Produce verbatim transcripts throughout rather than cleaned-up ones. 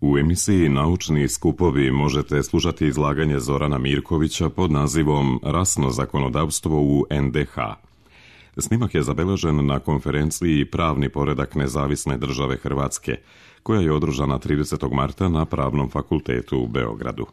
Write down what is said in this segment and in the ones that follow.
U emisiji Naučni skupovi možete slušati izlaganje Zorana Mirkovića pod nazivom Rasno zakonodavstvo u en de ha. Snimak je zabeležen na konferenciji Pravni poredak nezavisne države Hrvatske, koja je održana tridesetog marta na Pravnom fakultetu u Beogradu.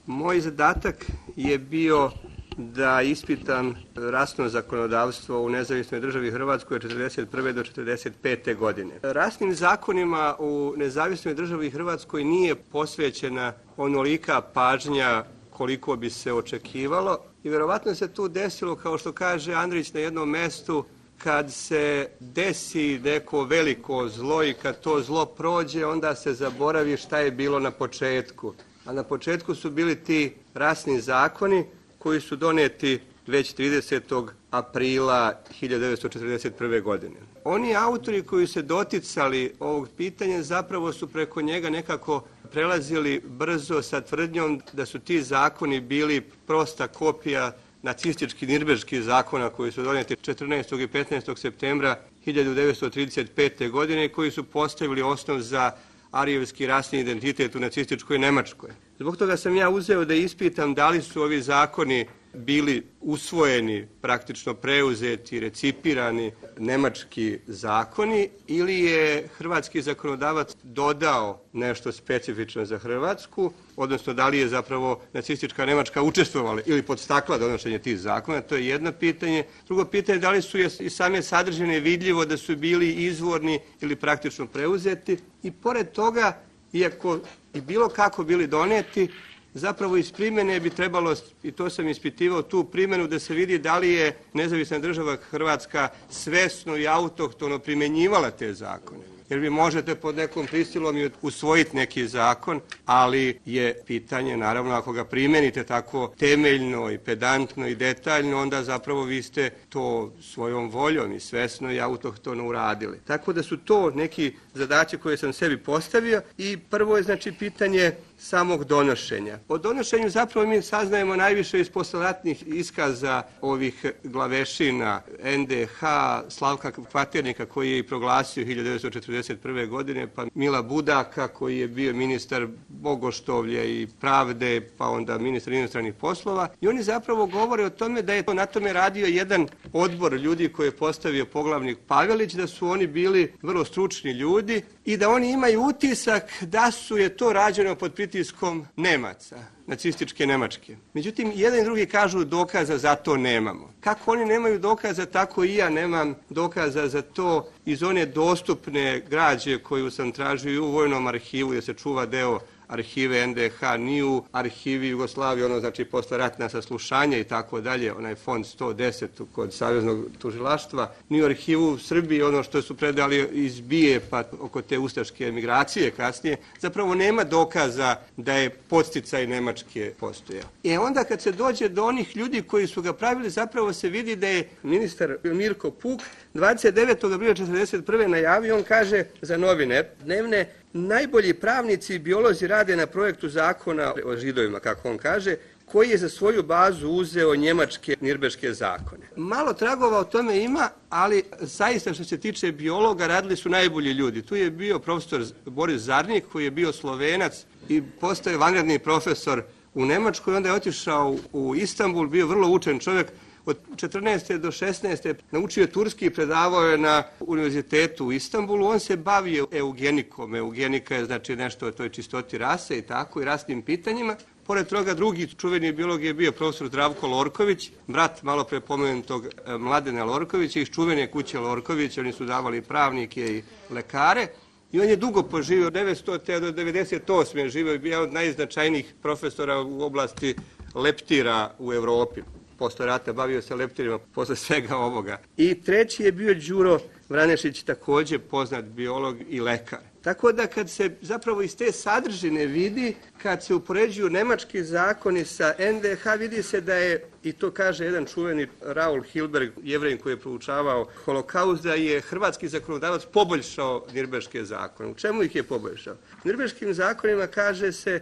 Moj zadatak je bio da ispitam rasno zakonodavstvo u nezavisnoj državi Hrvatskoj od četrdeset prve do četrdeset pete godine. Rasnim zakonima u nezavisnoj državi Hrvatskoj nije posvećena onolika pažnja koliko bi se očekivalo i vjerovatno se tu desilo, kao što kaže Andrić na jednom mestu, kad se desi neko veliko zlo i kad to zlo prođe, onda se zaboravi šta je bilo na početku. A na početku su bili ti rasni zakoni koji su doneti već tridesetog aprila hiljadu devetsto četrdeset prve. godine. Oni autori koji se doticali ovog pitanja zapravo su preko njega nekako prelazili brzo sa tvrdnjom da su ti zakoni bili prosta kopija nacističkih nirnberških zakona koji su donijeti četrnaestog i petnaestog septembra hiljadu devetsto trideset pete. godine i koji su postavili osnov za arijevski rasni identitet u nacističkoj Nemačkoj. Zbog toga sam ja uzeo da ispitam da li su ovi zakoni bili usvojeni, praktično preuzeti, recipirani nemački zakoni ili je hrvatski zakonodavac dodao nešto specifično za Hrvatsku, odnosno da li je zapravo nacistička Nemačka učestvovala ili podstakla donošenje tih zakona, to je jedno pitanje. Drugo pitanje je da li su i same sadržine vidljivo da su bili izvorni ili praktično preuzeti i pored toga, iako i bilo kako bili doneti, zapravo iz primjene bi trebalo, i to sam ispitivao, tu primjenu da se vidi da li je nezavisna država Hrvatska svesno i autohtono primjenjivala te zakone. Jer vi možete pod nekom prisilom i usvojiti neki zakon, ali je pitanje, naravno, ako ga primjenite tako temeljno i pedantno i detaljno, onda zapravo vi ste to svojom voljom i svesno i autohtono uradili. Tako da su to neki zadaci koje sam sebi postavio i prvo je znači pitanje samog donošenja. O donošenju zapravo mi saznajemo najviše iz posleratnih iskaza ovih glavešina en de ha, Slavka Kvaternika koji je i proglasio hiljadu devetsto četrdeset prve. godine, pa Mila Budaka koji je bio ministar bogoštovlje i pravde, pa onda ministar inostranih poslova. I oni zapravo govore o tome da je na tome radio jedan odbor ljudi koji je postavio poglavnik Pavelić, da su oni bili vrlo stručni ljudi i da oni imaju utisak da su je to rađeno pod pritiskom Nemaca, nacističke Nemačke. Međutim, jedan i drugi kažu dokaza za to nemamo. Kako oni nemaju dokaza, tako i ja nemam dokaza za to iz one dostupne građe koju sam tražio i u vojnom arhivu, jer se čuva deo arhive en de ha, ni u arhivi Jugoslavije, ono znači posle ratna saslušanja i tako dalje, onaj fond sto deset kod Saveznog tužilaštva, ni u arhivu Srbije, ono što su predali iz BIA pa oko te ustaške emigracije kasnije, zapravo nema dokaza da je podsticaj Nemačke postojao. I onda kad se dođe do onih ljudi koji su ga pravili, zapravo se vidi da je ministar Mirko Puk dvadeset devetog aprila četrdeset prve. najavio, on kaže za novine dnevne: najbolji pravnici i biolozi rade na projektu zakona o Židovima, kako on kaže, koji je za svoju bazu uzeo njemačke nirnberške zakone. Malo tragova o tome ima, ali zaista što se tiče biologa radili su najbolji ljudi. Tu je bio profesor Boris Zarnik koji je bio Slovenac i postao je vanredni profesor u Nemačkoj, onda je otišao u Istanbul, bio vrlo učen čovjek. Od četrnaeste do šesnaeste naučio je turski i predavao je na univerzitetu u Istanbulu. On se bavio eugenikom. Eugenika je znači nešto o toj čistoti rase i tako i rasnim pitanjima. Pored toga drugi čuveni biolog je bio profesor Zdravko Lorković, brat malo pre pomenutog Mladena Lorkovića iz čuvene kuće Lorković. Oni su davali pravnike i lekare. I on je dugo poživio, od devetstote do devedeset osme. živio i bio od najznačajnijih profesora u oblasti leptira u Evropi. Posle rata bavio se leptirima, posle svega ovoga. I treći je bio Đuro Vranešić, također poznat biolog i lekar. Tako da kad se zapravo iz te sadržine vidi, kad se upoređuju nemački zakoni sa en de ha, vidi se da je, i to kaže jedan čuveni Raul Hilberg, Jevrejin koji je proučavao holokaust, da je hrvatski zakonodavac poboljšao nirnberške zakone. U čemu ih je poboljšao? U nirnberškim zakonima kaže se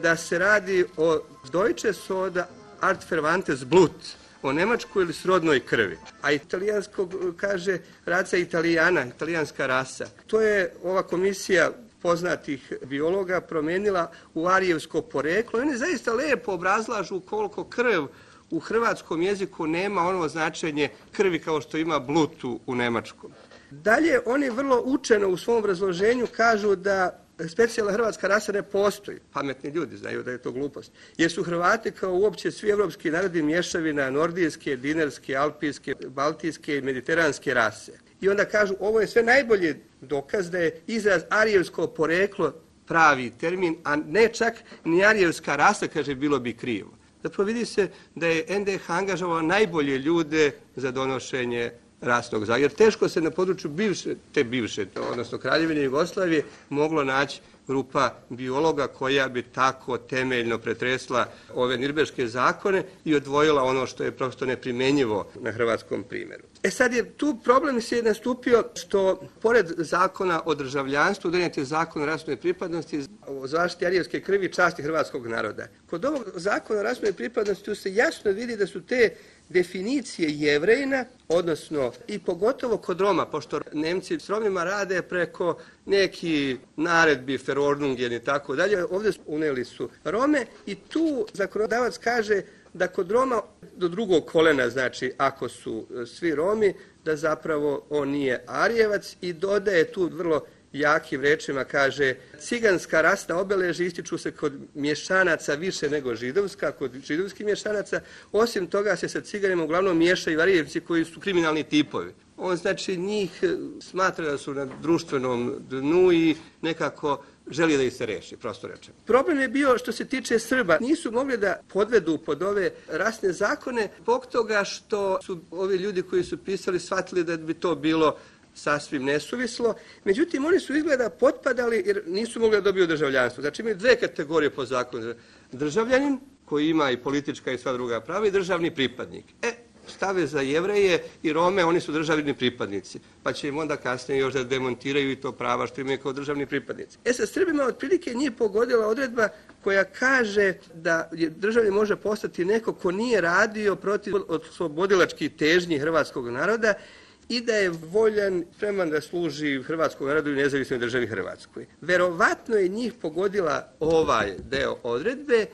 da se radi o Deutsche Soda Art Verwandtes Blut, o nemačkoj ili srodnoj krvi. A italijansko kaže raca italijana, italijanska rasa. To je ova komisija poznatih biologa promijenila u arijevsko poreklo. I oni zaista lijepo obrazlažu koliko krv u hrvatskom jeziku nema ono značenje krvi kao što ima blutu u nemačkom. Dalje, oni vrlo učeno u svom obrazloženju kažu da specijalna hrvatska rasa ne postoji. Pametni ljudi znaju da je to glupost. Jer su Hrvati kao uopće svi evropski narodi mješavina nordijske, dinarske, alpijske, baltijske i mediteranske rase. I onda kažu ovo je sve najbolji dokaz da je izraz arijevsko poreklo pravi termin, a ne čak ni arijevska rasa, kaže, bilo bi krivo. Zapravo vidi se da je en de ha angažovao najbolje ljude za donošenje rasnog zakona. Jer teško se na području bivše, te bivše, odnosno Kraljevine Jugoslavije, moglo naći grupa biologa koja bi tako temeljno pretresla ove nirbeške zakone i odvojila ono što je prosto neprimjenjivo na hrvatskom primjeru. E sad je tu problem se nastupio što pored zakona o državljanstvu donijet je zakon o rasnoj pripadnosti o zaštiti arijevske krvi i časti hrvatskog naroda. Kod ovog zakona o rasnoj pripadnosti tu se jasno vidi da su te definicije Jevrejina, odnosno i pogotovo kod Roma, pošto Nemci s Romima rade preko neki naredbi, Verordnungen i tako dalje, ovdje unijeli su Rome i tu zakonodavac kaže da kod Roma do drugog kolena, znači ako su svi Romi, da zapravo on nije Arijevac i dodaje tu vrlo jakim rečima, kaže ciganska rasna obeležja ističu se kod mješanaca više nego židovska, kod židovskih mješanaca. Osim toga se sa ciganima uglavnom miješaju Arijevci koji su kriminalni tipovi. On znači njih smatra da su na društvenom dnu i nekako želi da ih se reši, prosto rečeno. Problem je bio što se tiče Srba. Nisu mogli da podvedu pod ove rasne zakone zbog toga što su ovi ljudi koji su pisali shvatili da bi to bilo sasvim nesuvislo. Međutim, oni su izgleda potpadali jer nisu mogli da dobiju državljanstvo. Znači imaju dve kategorije po zakonu. Državljanin koji ima i politička i sva druga prava i državni pripadnik. E, stave za Jevreje i Rome, oni su državni pripadnici. Pa će im onda kasnije još da demontiraju i to prava što imaju kao državni pripadnici. E sa Srbima otprilike nije pogodila odredba koja kaže da državljanin može postati neko ko nije radio protiv oslobodilačkih težnji hrvatskog naroda i da je voljan, spreman da služi hrvatskom narodu i nezavisnoj državi Hrvatskoj. Verovatno je njih pogodila ovaj deo odredbe,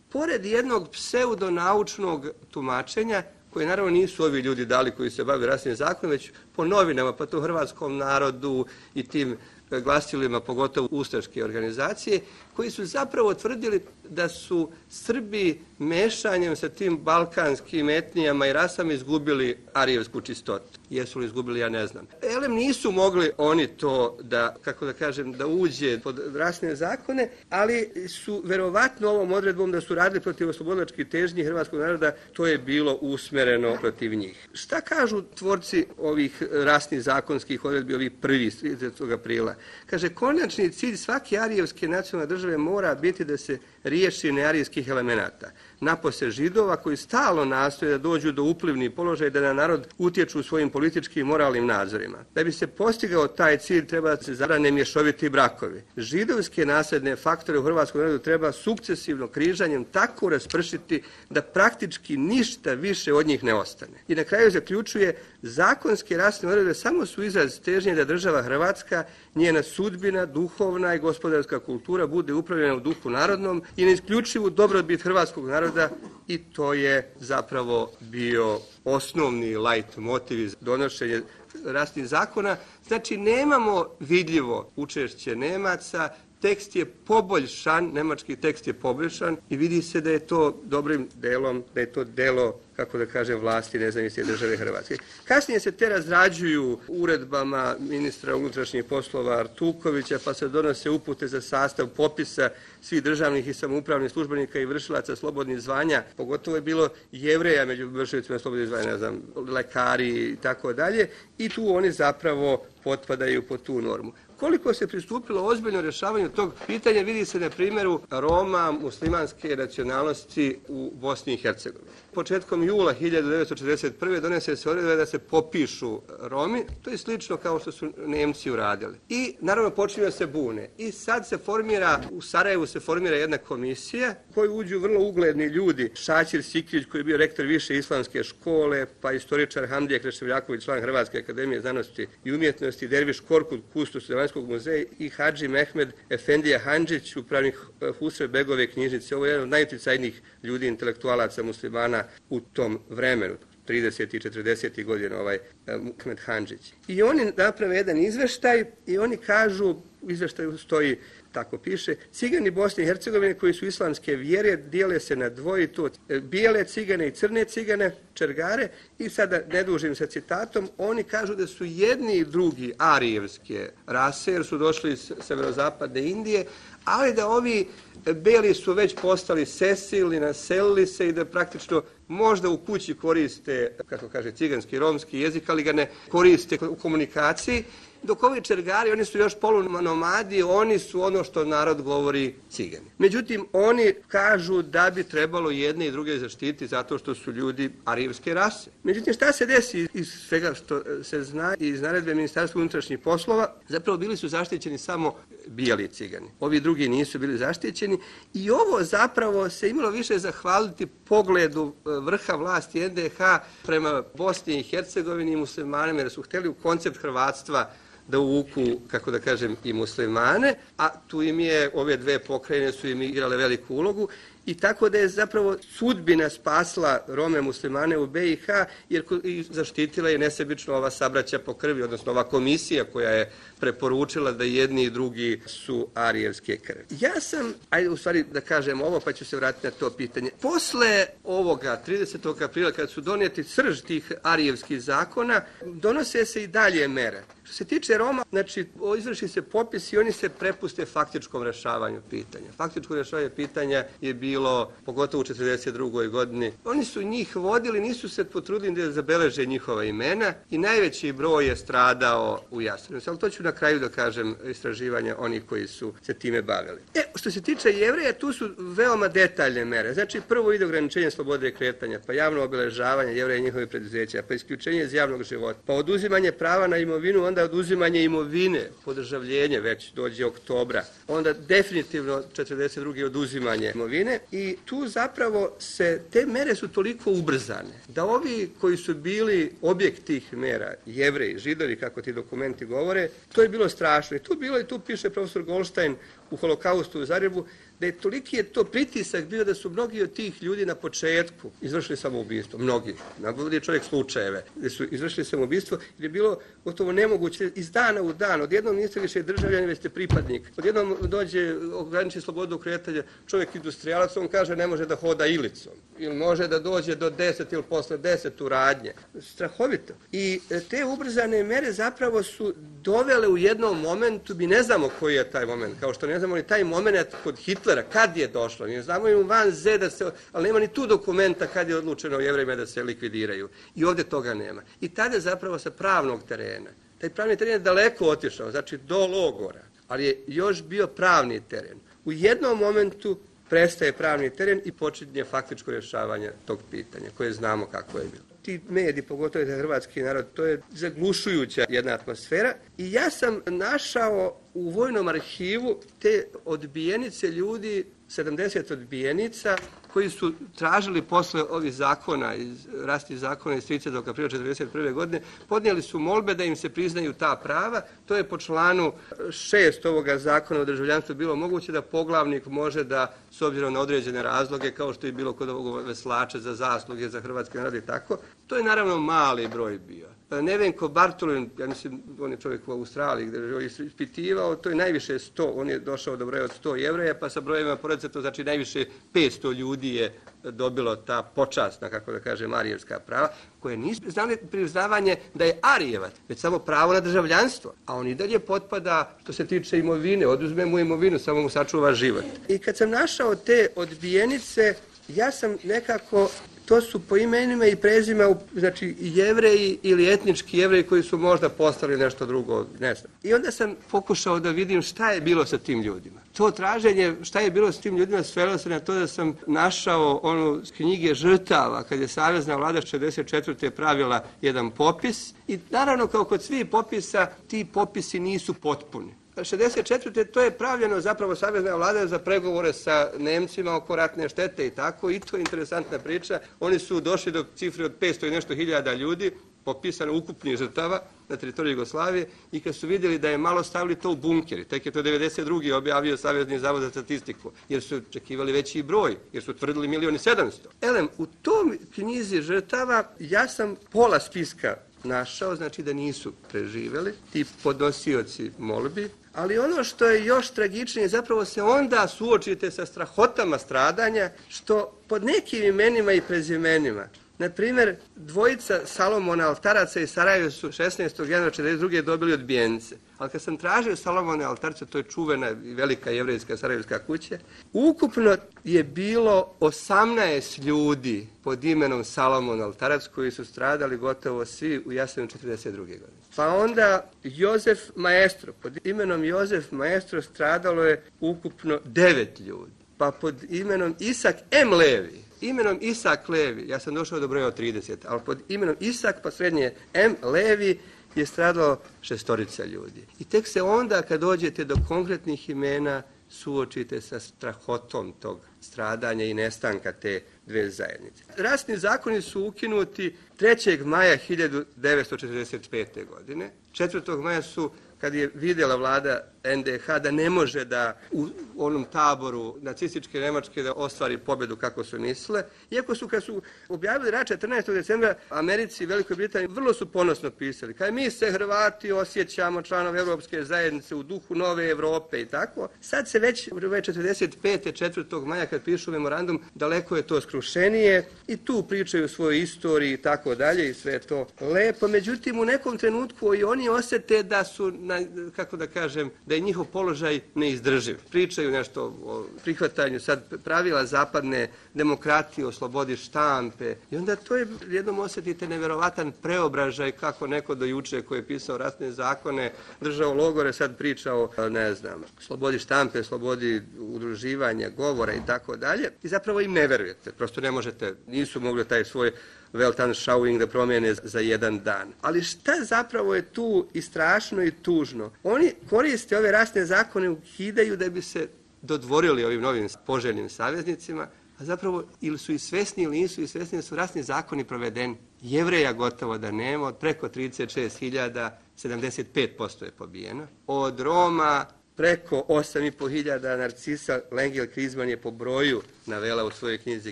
pored jednog pseudonaučnog tumačenja, koje naravno nisu ovi ljudi dali koji se bave rasnim zakonom, već po novinama, pa to hrvatskom narodu i tim glasilima, pogotovo ustaške organizacije, koji su zapravo tvrdili da su Srbi mešanjem sa tim balkanskim etnijama i rasama izgubili arijevsku čistotu. Jesu li izgubili, ja ne znam. Elem nisu mogli oni to da, kako da kažem, da uđe pod rasne zakone, ali su verovatno ovom odredbom da su radili protiv oslobodilačkih težnji hrvatskog naroda, to je bilo usmereno protiv njih. Šta kažu tvorci ovih rasnih zakonskih odredbi, ovih prvih tridesetog aprila? Kaže, konačni cilj svake arijevske nacionalne države mora biti da se riješi nearijskih elemenata. Napose Židova koji stalno nastoje da dođu do uplivnih položaja i da na narod utječu svojim političkim i moralnim nadzorima. Da bi se postigao taj cilj treba da se zabrane mješoviti brakovi. Židovske nasljedne faktore u hrvatskom narodu treba sukcesivno križanjem tako raspršiti da praktički ništa više od njih ne ostane. I na kraju zaključuje, zakonske rasne odredbe samo su izraz težnje da država Hrvatska, njena sudbina, duhovna i gospodarska kultura bude upravljena u duhu narodnom i na isključivu dobrobit hrvatskog naroda i to je zapravo bio osnovni lajt motiv za donošenje rasnih zakona. Znači nemamo vidljivo učešće Nemaca, tekst je poboljšan, nemački tekst je poboljšan i vidi se da je to dobrim delom, da je to delo, kako da kažem, vlasti nezavisne države Hrvatske. Kasnije se te razrađuju uredbama ministra unutrašnjih poslova Artukovića, pa se donose upute za sastav popisa svih državnih i samoupravnih službenika i vršilaca slobodnih zvanja. Pogotovo je bilo Jevreja među vršilicima slobodnih zvanja, ne znam, lekari i tako dalje. I tu oni zapravo potpadaju po tu normu. Koliko se pristupilo ozbiljno rješavanju tog pitanja vidi se na primjeru Roma muslimanske nacionalnosti u Bosni i Hercegovini. Početkom jula hiljadu devetsto četrdeset prve donese se odredba da se popišu Romi, to je slično kao što su Nemci uradili. I naravno počinju da se bune. I sad se formira, u Sarajevu se formira jedna komisija u koju uđu vrlo ugledni ljudi. Šaćir Sikrić koji je bio rektor više islamske škole, pa istoričar Hamdija Kreševljaković, član Hrvatske akademije znanosti i umjetnosti, Derviš Korkut, kustos Arapskog muzeja i Hadži Mehmed Efendija Handžić, upravnik Husrev Begove knjižnice. Ovo je jedan od najutjecajnijih ljudi, intelektualaca muslimana u tom vremenu. tridesetih i četrdesetih godina ovaj Mehmed Handžić. I oni naprave jedan izveštaj i oni kažu, u izveštaju stoji, tako piše, cigani Bosne i Hercegovine koji su islamske vjere dijele se na dvoje, to bijele cigane i crne cigane, čergare, i sada ne dužim sa citatom, oni kažu da su jedni i drugi arijevske rase, jer su došli iz severozapadne Indije, ali da ovi beli su već postali sesili, naselili se i da praktično možda u kući koriste, kako kaže, ciganski, romski jezik, ali ga ne koriste u komunikaciji, dok ovi čergari, oni su još polunomadi, oni su ono što narod govori cigani. Međutim, oni kažu da bi trebalo jedne i druge zaštiti zato što su ljudi arijevske rase. Međutim, šta se desi iz svega što se zna iz naredbe Ministarstva unutrašnjih poslova? Zapravo bili su zaštićeni samo bijeli cigani. Ovi drugi nisu bili zaštićeni i ovo zapravo se imalo više zahvaliti pogledu vrha vlasti en de ha prema Bosni i Hercegovini i muslimanima, jer su htjeli u koncept hrvatstva da uvuku, kako da kažem, i muslimane, a tu im je, ove dve pokrajine su im igrale veliku ulogu, i tako da je zapravo sudbina spasla Rome muslimane u be i ha, jer zaštitila je nesebično ova sabraća po krvi, odnosno ova komisija koja je preporučila da jedni i drugi su arijevske krvi. Ja sam, ajde u stvari da kažem ovo, pa ću se vratiti na to pitanje. Posle ovoga, tridesetog aprila, kad su donijeti srž tih arijevskih zakona, donose se i dalje mere. Što se tiče Roma, znači, izvrši se popis i oni se prepuste faktičkom rešavanju pitanja. Faktičko rešavanje pitanja je bilo, pogotovo u četrdeset drugoj godini. Oni su njih vodili, nisu se potrudili da zabeleže njihova imena i najveći broj je stradao u Jasenovcu. Ali to ću na kraju da kažem istraživanja onih koji su se time bavili. E, što se tiče Jevreja, tu su veoma detaljne mere. Znači, prvo ide ograničenje slobode kretanja, pa javno obeležavanje Jevreja i njihovih preduzeća, pa isključenje iz javnog života, pa oduzimanje prava na imovinu, onda oduzimanje imovine, podržavljenje, već dođe oktobra, onda definitivno četrdeset druge oduzimanje imovine, i tu zapravo se, te mere su toliko ubrzane, da ovi koji su bili objekt tih mera, Jevreji, Židovi, kako ti dokumenti govore, to je bilo strašno. I tu bilo, i tu piše profesor Goldstein u Holokaustu u Zagrebu, da je toliki je to pritisak bio da su mnogi od tih ljudi na početku izvršili samoubistvo. Mnogi. Navodi čovjek slučajeve da su izvršili samoubistvo, jer je bilo gotovo nemoguće iz dana u dan. Odjednom niste više državljani, već ste pripadnik. Odjednom dođe ograniči slobodu kretanja čovjek industrijalac, on kaže ne može da hoda ilicom. Ili može da dođe do deset ili posle deset u radnje. Strahovito. I te ubrzane mere zapravo su dovele u jednom momentu, mi ne znamo koji je taj moment, kao što ne znamo ni taj moment kod Hitlera, kad je došlo. Mi znamo im van Z, da se, ali nema ni tu dokumenta kad je odlučeno Jevrejima da se likvidiraju. I ovdje toga nema. I tada zapravo sa pravnog terena, taj pravni teren je daleko otišao, znači do logora, ali je još bio pravni teren. U jednom momentu prestaje pravni teren i počinje faktičko rješavanje tog pitanja, koje znamo kako je bilo. Ti mediji, pogotovo za hrvatski narod, to je zaglušujuća jedna atmosfera. I ja sam našao u vojnom arhivu te odbijenice ljudi, sedamdeset odbijenica, koji su tražili posle ovih zakona, iz, rasti zakona iz tridesetog aprila četrdeset prve godine, podnijeli su molbe da im se priznaju ta prava. To je po članu šest ovoga zakona o državljanstvu bilo moguće da poglavnik može da, s obzirom na određene razloge, kao što je bilo kod ovog veslača za zasluge za hrvatski narod i tako, to je naravno mali broj bio. Nevenko Bartolin, ja mislim, on je čovjek u Australiji gdje je ispitivao, to je najviše sto, on je došao do broja od sto Jevreja, pa sa brojevima pored to znači najviše petsto ljudi je dobilo ta počasna, kako da kažem, arijevska prava, koje nisu znali priznavanje da je arijevac, već samo pravo na državljanstvo. A on i dalje potpada što se tiče imovine, oduzme mu imovinu, samo mu sačuva život. I kad sam našao te odbijenice, ja sam nekako, to su po imenima i prezima, znači Jevreji ili etnički Jevreji koji su možda postali nešto drugo, ne znam. I onda sam pokušao da vidim šta je bilo sa tim ljudima. To traženje šta je bilo s tim ljudima svelo se na to da sam našao onu knjige žrtava, kad je savezna vlada šezdeset četvrte pravila jedan popis. I naravno, kao kod svih popisa, ti popisi nisu potpuni. šezdeset četvrte to je pravljeno zapravo savezna vlada za pregovore sa Nemcima oko ratne štete i tako, i to je interesantna priča. Oni su došli do cifre od petsto i nešto hiljada ljudi, popisano ukupnih žrtava na teritoriji Jugoslavije i kad su vidjeli da je malo stavili to u bunkeri, tek je to devedeset druge objavio Savezni zavod za statistiku, jer su očekivali veći broj, jer su tvrdili milion i sedamsto. Elem, u tom knjizi žrtava ja sam pola spiska našao, znači da nisu preživjeli, ti podnosioci molbi, ali ono što je još tragičnije, zapravo se onda suočite sa strahotama stradanja, što pod nekim imenima i prezimenima, na primjer, dvojica Salomona Altaraca iz Sarajeva su šesnaestog januara četrdeset druge dobili odbijenice. Ali kad sam tražio Salomona Altarca, to je čuvena i velika jevrejska sarajevska kuća, ukupno je bilo osamnaest ljudi pod imenom Salomon Altarac koji su stradali gotovo svi u Jasenovcu četrdeset druge godine. Pa onda Jozef Maestro, pod imenom Jozef Maestro stradalo je ukupno devet ljudi. Pa pod imenom Isak M. Levi, imenom Isak Levi, ja sam došao do broja od trideset, ali pod imenom Isak, pa srednje M. Levi, je stradalo šestorica ljudi. I tek se onda, kad dođete do konkretnih imena, suočite sa strahotom tog stradanja i nestanka te dve zajednice. Rasni zakoni su ukinuti trećeg maja hiljadu devetsto četrdeset pete. godine. četvrtog maja su, kad je vidjela vlada en de ha da ne može da u onom taboru nacističke Njemačke da ostvari pobjedu kako su mislile, iako su kad su objavili rat četrnaestog decembra Americi i Velikoj Britaniji vrlo su ponosno pisali, kaj mi se Hrvati osjećamo članovi Europske zajednice u duhu nove Europe i tako. Sad se već četrdeset pete. četvrtog maja kad pišu memorandum, daleko je to skrušenije i tu pričaju o svojoj istoriji i tako dalje i sve to lepo. Međutim, u nekom trenutku i oni osjete da su, na, kako da kažem, da je njihov položaj neizdrživ. Pričaju nešto o prihvatanju sad pravila zapadne demokratije, o slobodi štampe i onda to je, jednom osjetite neverovatan preobražaj kako neko do juče koji je pisao ratne zakone, držao logore, sad priča o, ne znam, slobodi štampe, slobodi udruživanja, govora i tako dalje. I zapravo im ne verujete. Prosto ne možete, nisu mogli taj svoj Weltanschauung da promijene za jedan dan. Ali šta zapravo je tu i strašno i tužno? Oni koriste ove rasne zakone, ukidaju da bi se dodvorili ovim novim poželjnim saveznicima, a zapravo ili su i svesni ili nisu i svesni da su rasni zakoni provedeni. Jevreja gotovo da nema, od preko trideset šest hiljada, sedamdeset pet posto je pobijeno. Od Roma preko osam i po hiljada, Narcisa Lengel Krizman je po broju navela u svojoj knjizi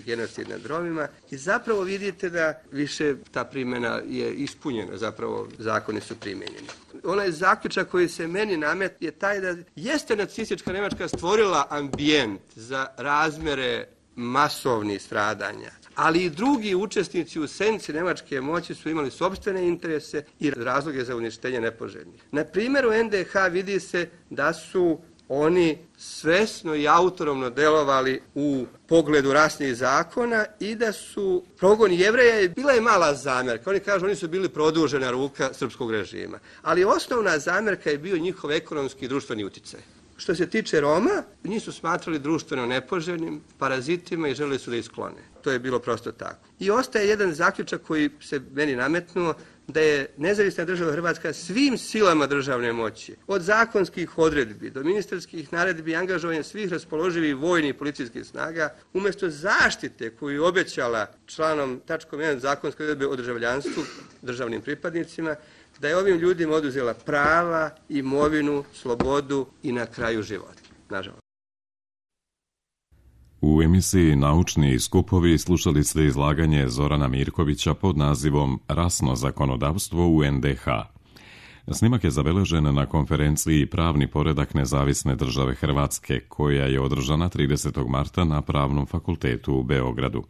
Genocid nad Romima i zapravo vidite da više ta primjena je ispunjena, zapravo zakoni su primijenjeni. Onaj zaključak koji se meni namet je taj da jeste nacistička Njemačka stvorila ambijent za razmjere masovnih stradanja, ali i drugi učesnici u senci nemačke moći su imali sopstvene interese i razloge za uništenje nepoželjnih. Na primjeru en de ha vidi se da su oni svesno i autonomno delovali u pogledu rasnih zakona i da su progon Jevreja, bila je mala zamjerka. Oni kažu oni su bili produžena ruka srpskog režima. Ali osnovna zamjerka je bio njihov ekonomski i društveni uticaj. Što se tiče Roma, njih su smatrali društveno nepoželjnim, parazitima i želeli su da isklone. To je bilo prosto tako. I ostaje jedan zaključak koji se meni nametnuo, da je nezavisna država Hrvatska svim silama državne moći, od zakonskih odredbi do ministarskih naredbi i angažovanja svih raspoloživih vojnih i policijskih snaga, umjesto zaštite koju je obećala članom tačkom jedan zakonske odredbe o državljanstvu državnim pripadnicima, da je ovim ljudima oduzela prava, imovinu, slobodu i na kraju život. Nažalost. U emisiji Naučni skupovi slušali ste izlaganje Zorana Mirkovića pod nazivom Rasno zakonodavstvo u en de ha. Snimak je zabeležen na konferenciji Pravni poredak nezavisne države Hrvatske, koja je održana tridesetog marta na Pravnom fakultetu u Beogradu.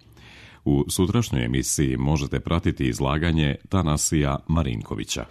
U sutrašnjoj emisiji možete pratiti izlaganje Tanasija Marinkovića.